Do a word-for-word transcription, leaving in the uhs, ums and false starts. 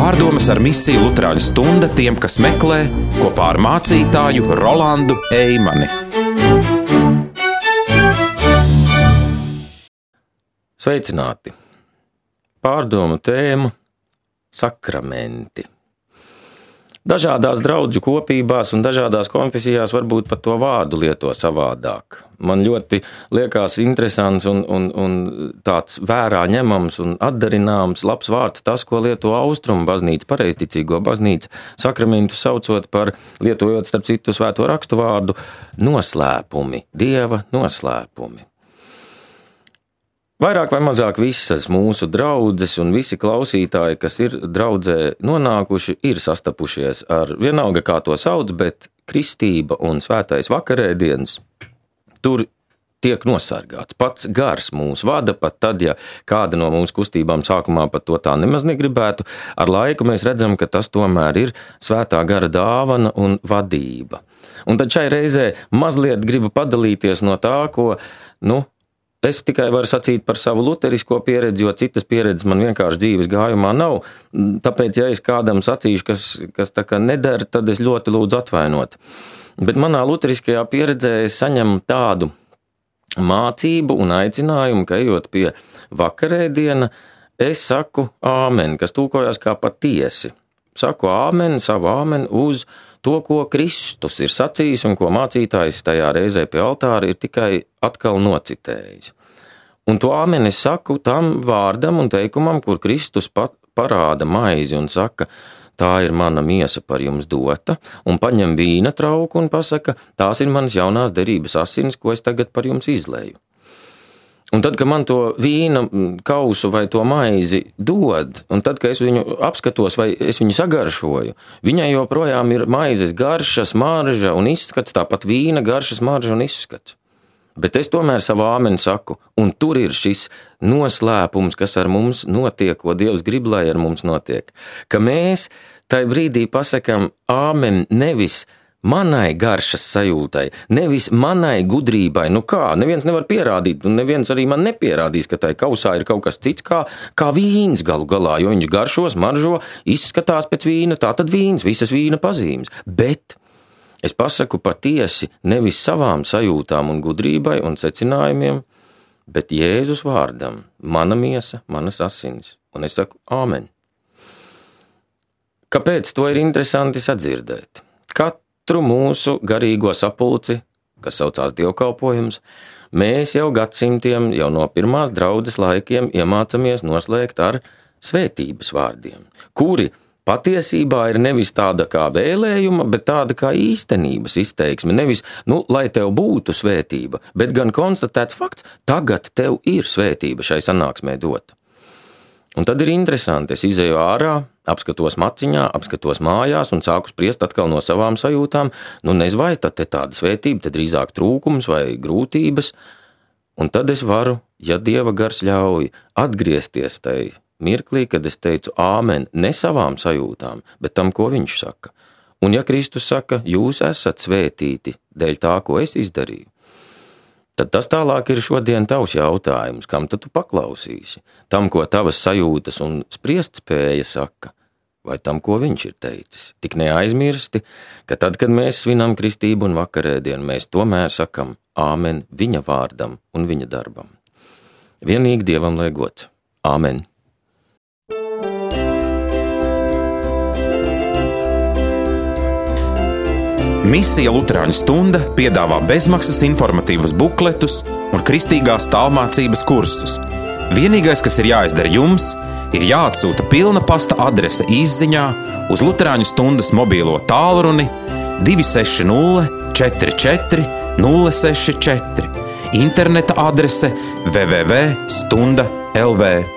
Pārdomas ar misiju Luterāņu stunda tiem, kas meklē, kopā ar mācītāju Rolandu Eimani. Sveicināti! Pārdomu tēmu – sakramenti. Dažādās draudžu kopībās un dažādās konfesijās varbūt pat to vārdu lieto savādāk. Man ļoti liekas interesants un, un, un tāds vērā ņemams un atdarināms labs vārds tas, ko lieto Austrumu baznīca, pareizticīgo baznīca, sakramentu saucot par, lietojot starp citu svēto rakstu vārdu, noslēpumi, Dieva noslēpumi. Vairāk vai mazāk visas mūsu draudzes un visi klausītāji, kas ir draudzē nonākuši, ir sastapušies ar vienalga kā to sauc, bet kristība un svētais vakarēdienas tur tiek nosargāts. Pats gars mūs vada, pat tad, ja kāda no mūsu kustībām sākumā pat to tā nemaz negribētu, ar laiku mēs redzam, ka tas tomēr ir svētā gara dāvana un vadība. Un tad šai reizē mazliet gribu padalīties no tā, ko, nu, es tikai varu sacīt par savu luterisko pieredzi, jo citas pieredzes man vienkārši dzīves gājumā nav. Tāpēc, ja es kādam sacīšu, kas, kas tā kā nedara, tad es ļoti lūdzu atvainot. Bet manā luteriskajā pieredzē es saņemu tādu mācību un aicinājumu, ka ejot pie vakarēdiena, es saku āmen, kas tūkojās kā patiesi. Saku āmen, savu āmen uz to, ko Kristus ir sacījis un ko mācītājs tajā reizē pie altāra ir tikai atkal nocitējis. Un to āmeni es saku tam vārdam un teikumam, kur Kristus pat parāda maizi un saka, tā ir mana miesa par jums dota, un paņem vīna trauku un pasaka, tās ir manas jaunās derības asinis, ko es tagad par jums izleju. Un tad, kad man to vīna kausu vai to maizi dod, un tad, kad es viņu apskatos vai es viņu sagaršoju, viņai joprojām ir maizes garša, smarža un izskats, tāpat vīna garša, smarža un izskats. Bet es tomēr savu āmeni saku, un tur ir šis noslēpums, kas ar mums notiek, ko Dievs grib, lai ar mums notiek. Ka mēs tai brīdī pasakam āmeni nevis manai garšas sajūtai, nevis manai gudrībai. Nu kā, neviens nevar pierādīt, un neviens arī man nepierādīs, ka tai kausā ir kaut kas cits kā, kā vīns galu galā, jo viņš garšo, smaržo, izskatās pēc vīna, tā tad vīns, visas vīna pazīmes. Bet es pasaku patiesi nevis savām sajūtām un gudrībai un secinājumiem, bet Jēzus vārdam, mana miesa, manas asinis. Un es saku āmen. Kāpēc to ir interesanti sadzirdēt? Katru mūsu garīgo sapulci, kas saucās dievkalpojums, mēs jau gadsimtiem, jau no pirmās draudzes laikiem iemācamies noslēgt ar svētības vārdiem, kuri patiesībā ir nevis tāda kā vēlējuma, bet tāda kā īstenības izteiksme. Nevis, nu, lai tev būtu svētība, bet gan konstatēts fakts, tagad tev ir svētība šai sanāksmē dota. Un tad ir interesanti, es izēju ārā, apskatos maciņā, apskatos mājās un sāku spriest atkal no savām sajūtām, nu nezinu, vai tad te tāda svētība, te drīzāk trūkums vai grūtības, un tad es varu, ja Dieva gars ļauj, atgriezties tai mirklī, kad es teicu āmen ne savām sajūtām, bet tam, ko viņš saka. Un ja Kristus saka, jūs esat svētīti dēļ tā, ko es izdarīju, tad tas tālāk ir šodien tavs jautājums, kam tad tu paklausīsi? Tam, ko tavas sajūtas un spriest spēja saka, vai tam, ko viņš ir teicis? Tik neaizmirsti, ka tad, kad mēs svinam kristību un vakarēdienu, mēs tomēr sakam āmen viņa vārdam un viņa darbam. Vienīgi Dievam lai gods. Āmen. Misija Luterāņu stunda piedāvā bezmaksas informatīvus bukletus un kristīgās tālmācības kursus. Vienīgais, kas ir jāizdara jums, ir jāatsūta pilna pasta adrese izziņā uz Luterāņu stundas mobīlo tālruni divi seši nulle četri četri nulle seši četri, interneta adrese w w w punkt stunda punkt l v.